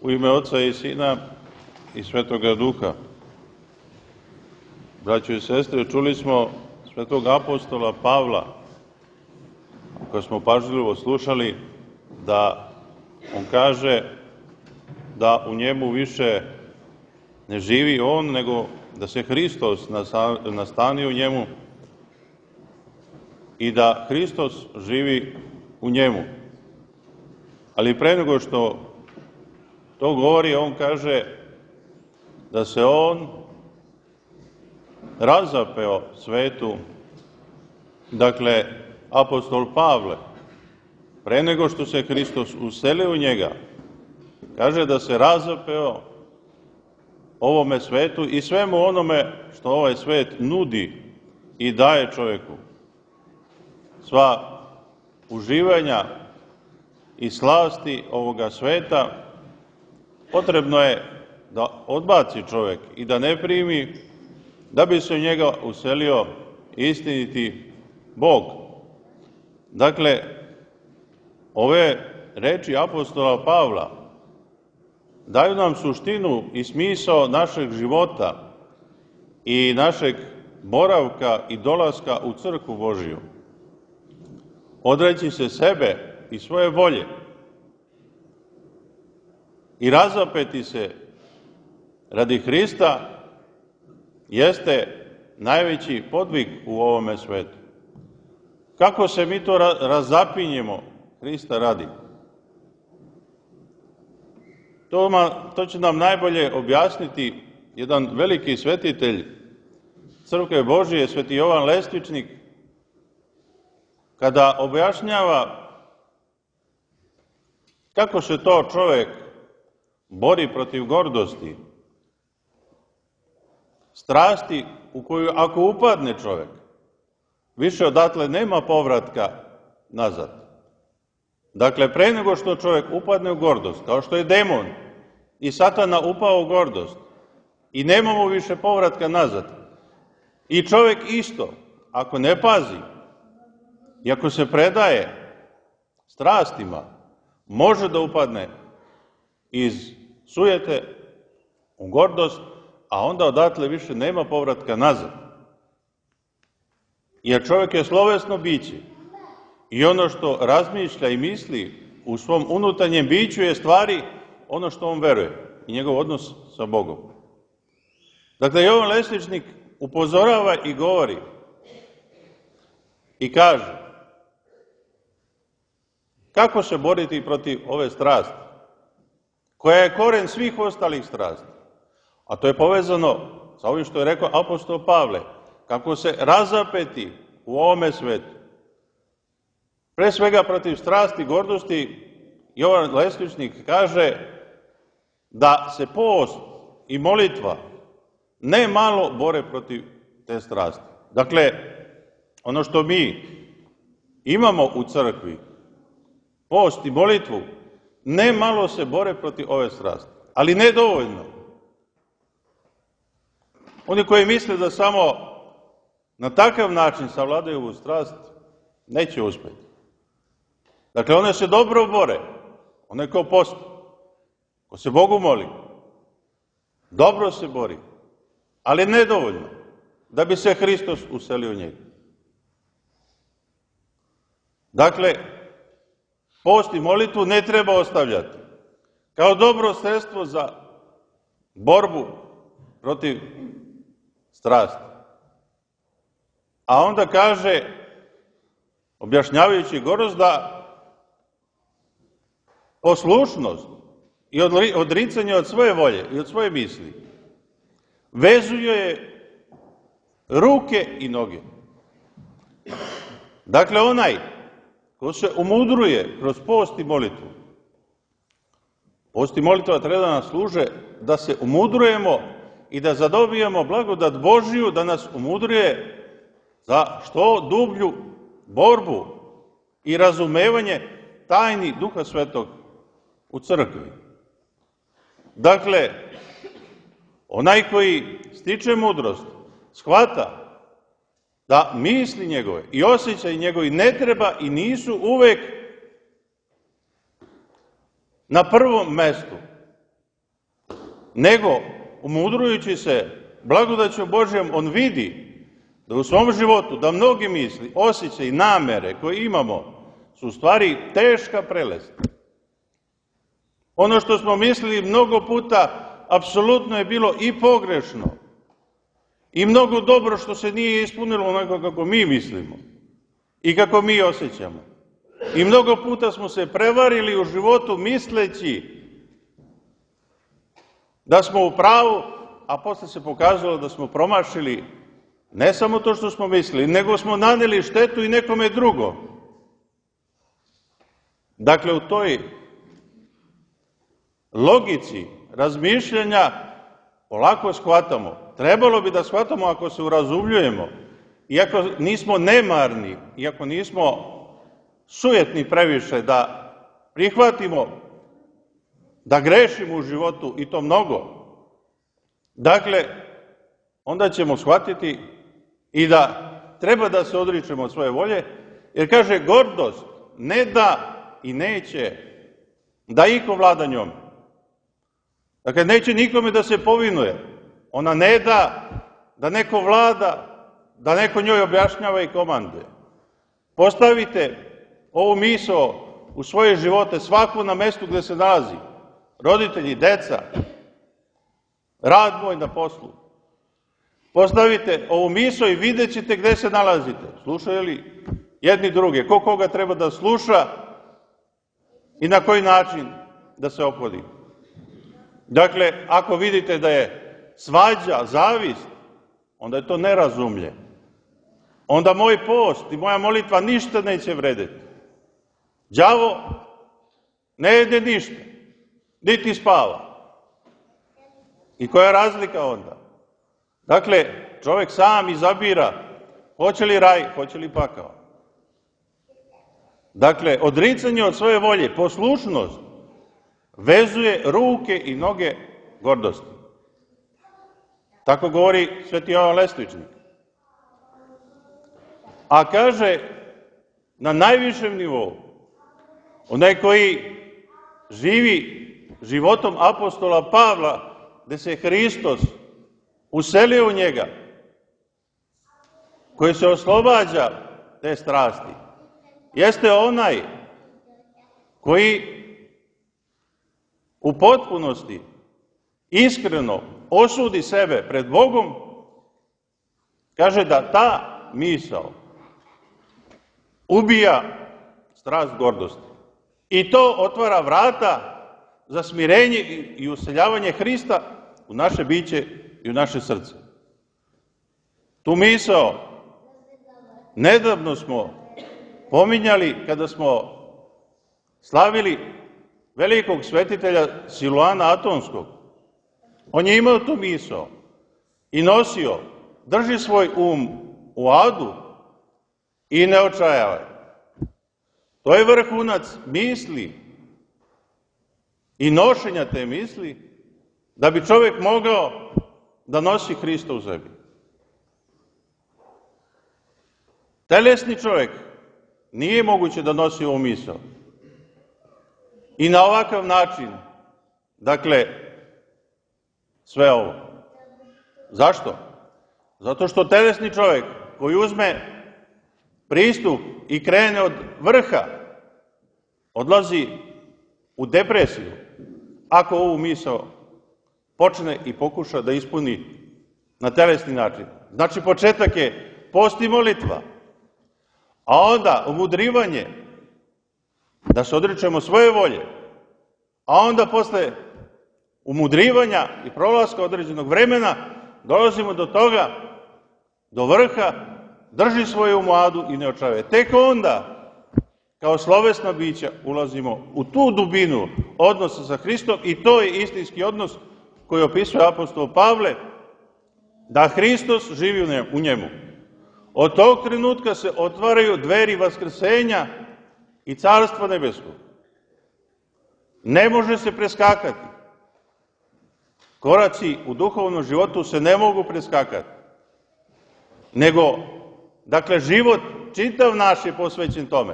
U ime Oca i Sina i Svetoga Duha. Braćo i sestre, čuli smo svetog apostola Pavla, koji smo pažljivo slušali, da on kaže da u njemu više ne živi on, nego da se Hristos nastani u njemu i da Hristos živi u njemu. Ali pre nego što to govori, on kaže da se on razapeo svetu, dakle, apostol Pavle, pre nego što se Hristos uselio u njega, kaže da se razapeo ovome svetu i svemu onome što ovaj svet nudi i daje čoveku. Sva uživanja i slasti ovoga sveta potrebno je da odbaci čovek i da ne primi, da bi se u njega uselio istiniti Bog. Dakle, ove reči apostola Pavla daju nam suštinu i smisao našeg života i našeg boravka i dolaska u crkvu Božiju. Odreći se sebe i svoje volje i razapeti se radi Hrista jeste najveći podvig u ovome svetu. Kako se mi to razapinjemo Hrista radi? To će nam najbolje objasniti jedan veliki svetitelj Crkve Božije, sveti Jovan Lestvičnik, kada objašnjava kako se to čovek bori protiv gordosti, strasti u koju ako upadne čovek, više odatle nema povratka nazad. Dakle, pre nego što čovek upadne u gordost, kao što je demon i Satana upao u gordost i nema mu više povratka nazad, i čovek isto, ako ne pazi i ako se predaje strastima, može da upadne iz sujete u gordost, a onda odatle više nema povratka nazad. Jer čovjek je slovesno biće i ono što razmišlja i misli u svom unutarnjem biću je stvari ono što on veruje i njegov odnos sa Bogom. Dakle, Jovan Lestvičnik upozorava i govori i kaže kako se boriti protiv ove strasti, koja je koren svih ostalih strasti. A to je povezano sa ovim što je rekao apostol Pavle, kako se razapeti u ovome svetu. Pre svega protiv strasti, gordosti, Jovan Lestvičnik kaže da se post i molitva ne malo bore protiv te strasti. Dakle, ono što mi imamo u crkvi, post i molitvu, ne malo se bore protiv ove strasti, ali ne dovoljno. Oni koji misle da samo na takav način savladaju ovu strast, neće uspjeti. Dakle, one se dobro bore, one ko posti, ko se Bogu moli, dobro se bori, ali nedovoljno, da bi se Hristos uselio u njega. Dakle, post i molitvu ne treba ostavljati kao dobro sredstvo za borbu protiv strasti. A onda kaže, objašnjavajući gordost, da poslušnost i odricanje od svoje volje i od svoje misli vezuje ruke i noge. Dakle, onaj ko se umudruje kroz post i molitvu, post i molitva treba da nas služe da se umudrujemo i da zadobijemo blagodat Božiju, da nas umudruje za što dublju borbu i razumevanje tajni Duha Svetog u crkvi. Dakle, onaj koji stiče mudrost, shvata da misli njegove i osjećaj njegovi ne treba i nisu uvek na prvom mestu, nego umudrujući se blagodaću Božjom, on vidi da u svom životu, da mnogi misli, osjećaji i namere koje imamo su u stvari teška prelest. Ono što smo mislili mnogo puta apsolutno je bilo i pogrešno i mnogo dobro što se nije ispunilo onako kako mi mislimo i kako mi osjećamo. I mnogo puta smo se prevarili u životu misleći da smo u pravu, a posle se pokazalo da smo promašili ne samo to što smo mislili, nego smo naneli štetu i nekome drugom. Dakle, u toj logici razmišljanja polako shvatamo. Trebalo bi da shvatamo ako se urazumljujemo, iako nismo nemarni, iako nismo sujetni previše, da prihvatimo da grešimo u životu i to mnogo. Dakle, onda ćemo shvatiti i da treba da se odričemo od svoje volje, jer kaže gordost ne da i neće da iko vlada njom. Dakle, neće nikome da se povinuje. Ona ne da da neko vlada, da neko njoj objašnjava i komanduje. Postavite ovu misao u svoje živote, svaku na mestu gde se nalazi. Roditelji, deca, rad moj na poslu. Postavite ovu misao i vidjet ćete gde se nalazite. Slušaju li jedni druge? Ko koga treba da sluša i na koji način da se ophodi? Dakle, ako vidite da je svađa, zavist, onda je to nerazumlje. Onda moj post i moja molitva ništa neće vredeti. Đavo ne jede ništa, niti spava. I koja je razlika onda? Dakle, čovjek sam izabira hoće li raj, hoće li pakao. Dakle, odricanje od svoje volje, poslušnost, vezuje ruke i noge gordosti. Tako govori Sveti Jovan Lestvičnik. A kaže, na najvišem nivou, onaj koji živi životom apostola Pavla, gde se Hristos uselio u njega, koji se oslobađa te strasti, jeste onaj koji u potpunosti, iskreno osudi sebe pred Bogom, kaže da ta misao ubija strast gordosti. I to otvara vrata za smirenje i useljavanje Hrista u naše biće i u naše srce. Tu misao nedavno smo pominjali kada smo slavili velikog svetitelja Siluana Atonskog. On je imao tu misao i nosio, drži svoj um u adu i ne očajavaj. To je vrhunac misli i nošenja te misli da bi čovjek mogao da nosi Hrista u sebi. Telesni čovjek nije moguće da nosi ovu misao. I na ovakav način, dakle, sve ovo. Zašto? Zato što telesni čovjek koji uzme pristup i krene od vrha, odlazi u depresiju, ako ovu misao počne i pokuša da ispuni na telesni način. Znači, početak je post i molitva, a onda umudrivanje, da se odričemo svoje volje, a onda posle umudrivanja i prolaska određenog vremena dolazimo do toga, do vrha, drži svoju umadu i ne očajavaj. Tek onda, kao slovesna bića, ulazimo u tu dubinu odnosa sa Hristom i to je istinski odnos koji opisuje apostol Pavle, da Hristos živi u njemu. Od tog trenutka se otvaraju dveri vaskrsenja i Carstva nebeskog. Ne može se preskakati. Koraci u duhovnom životu se ne mogu preskakati. Nego, dakle, život čitav naš je posvećen tome.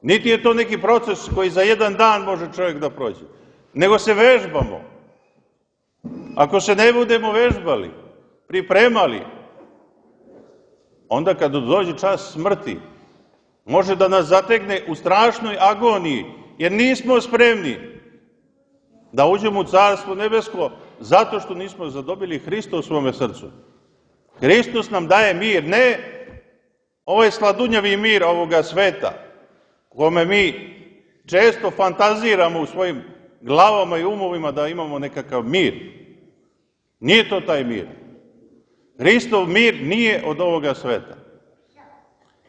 Niti je to neki proces koji za jedan dan može čovjek da prođe. Nego se vežbamo. ako se ne budemo vežbali, pripremali, onda kad dođe čas smrti, može da nas zategne u strašnoj agoniji, jer nismo spremni da uđemo u Carstvo nebesko zato što nismo zadobili Hrista u svome srcu. Hristos nam daje mir, ne ovaj sladunjavi mir ovoga sveta, kome mi često fantaziramo u svojim glavama i umovima da imamo nekakav mir. Nije to taj mir. Hristov mir nije od ovoga sveta.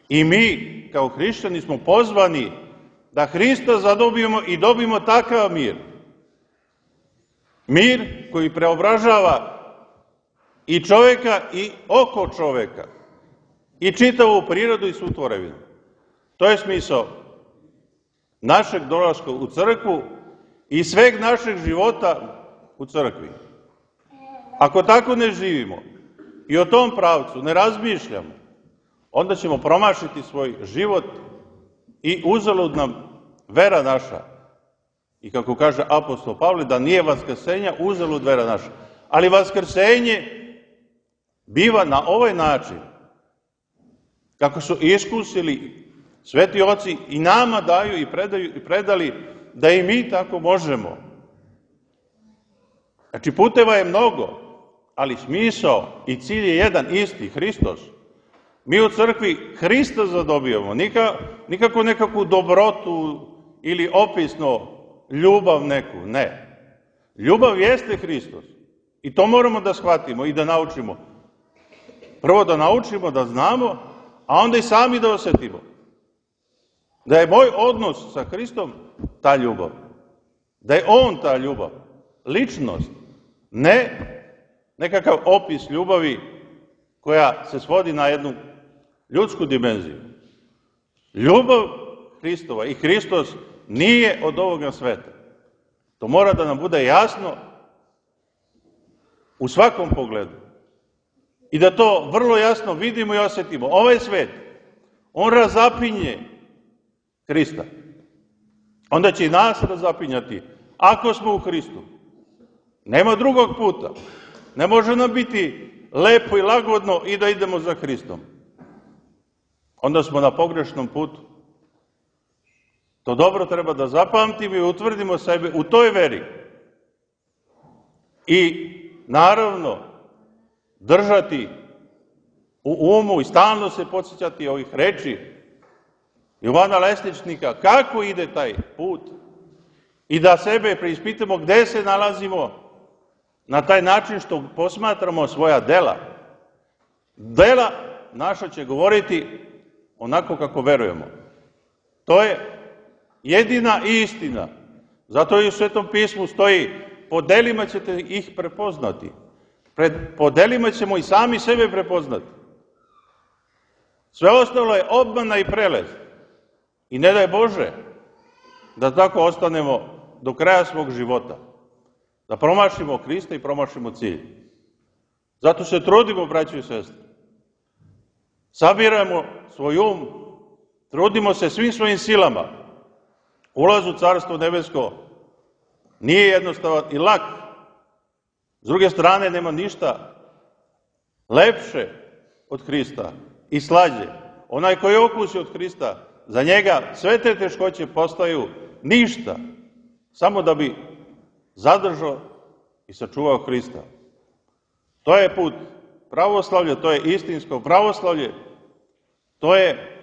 I mi, kao hrišćani, smo pozvani da Hrista zadobijemo i dobijemo takav mir. Mir koji preobražava i čoveka i oko čoveka, i čitavu prirodu i svu tvorevinu. To je smisao našeg dolaska u crkvu i sveg našeg života u crkvi. Ako tako ne živimo i o tom pravcu ne razmišljamo, onda ćemo promašiti svoj život i uzalud nam vera naša. I kako kaže apostol Pavle, da nije vaskrsenja, uzalud vera naša. Ali vaskrsenje biva na ovaj način, kako su iskusili sveti oci i nama daju i predali da i mi tako možemo. Znači, puteva je mnogo, ali smisao i cilj je jedan isti, Hristos. Mi u crkvi Hrista zadobijamo, nikako nekakvu dobrotu ili opisno ljubav neku, ne. Ljubav jeste Hristos i to moramo da shvatimo i da naučimo. Prvo da naučimo, da znamo, a onda i sami da osetimo. Da je moj odnos sa Hristom ta ljubav. Da je On ta ljubav. Ličnost. Ne nekakav opis ljubavi koja se svodi na jednu ljudsku dimenziju. Ljubav Hristova i Hristos nije od ovoga sveta. To mora da nam bude jasno u svakom pogledu. I da to vrlo jasno vidimo i osetimo. Ovaj svet, on razapinje Hrista. Onda će i nas razapinjati, ako smo u Hristu. Nema drugog puta. Ne može nam biti lepo i lagodno i da idemo za Hristom. Onda smo na pogrešnom putu. To dobro treba da zapamtimo i utvrdimo sebe u toj veri. I naravno držati u umu i stalno se podsjećati ovih reči Jovana Lesničnika, kako ide taj put i da sebe preispitamo gde se nalazimo na taj način što posmatramo svoja dela. Dela naša će govoriti onako kako verujemo. To je jedina istina. Zato i u Svetom pismu stoji, po delima ćete ih prepoznati. Po delima ćemo i sami sebe prepoznati. Sve ostalo je obmana i prelez. I ne daj Bože da tako ostanemo do kraja svog života. Da promašimo Hrista i promašimo cilj. Zato se trudimo, braćo i sestre. Sabiramo svoj um, trudimo se svim svojim silama. Ulaz u Carstvo nebesko nije jednostavan i lak. S druge strane, nema ništa lepše od Hrista i slađe. Onaj koji okusi od Hrista, za njega sve te teškoće postaju ništa, samo da bi zadržao i sačuvao Hrista. To je put pravoslavlja, to je istinsko pravoslavlje, to je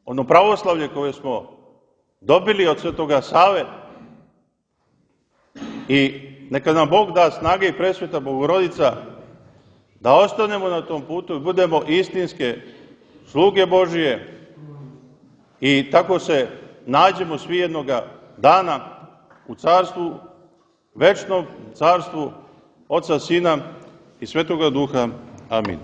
ono pravoslavlje koje smo dobili od Svetoga Save i neka nam Bog da snage i presveta Bogorodica da ostanemo na tom putu i budemo istinske sluge Božije i tako se nađemo svi jednoga dana u carstvu, večnom carstvu Oca, Sina i Svetoga Duha. Amin.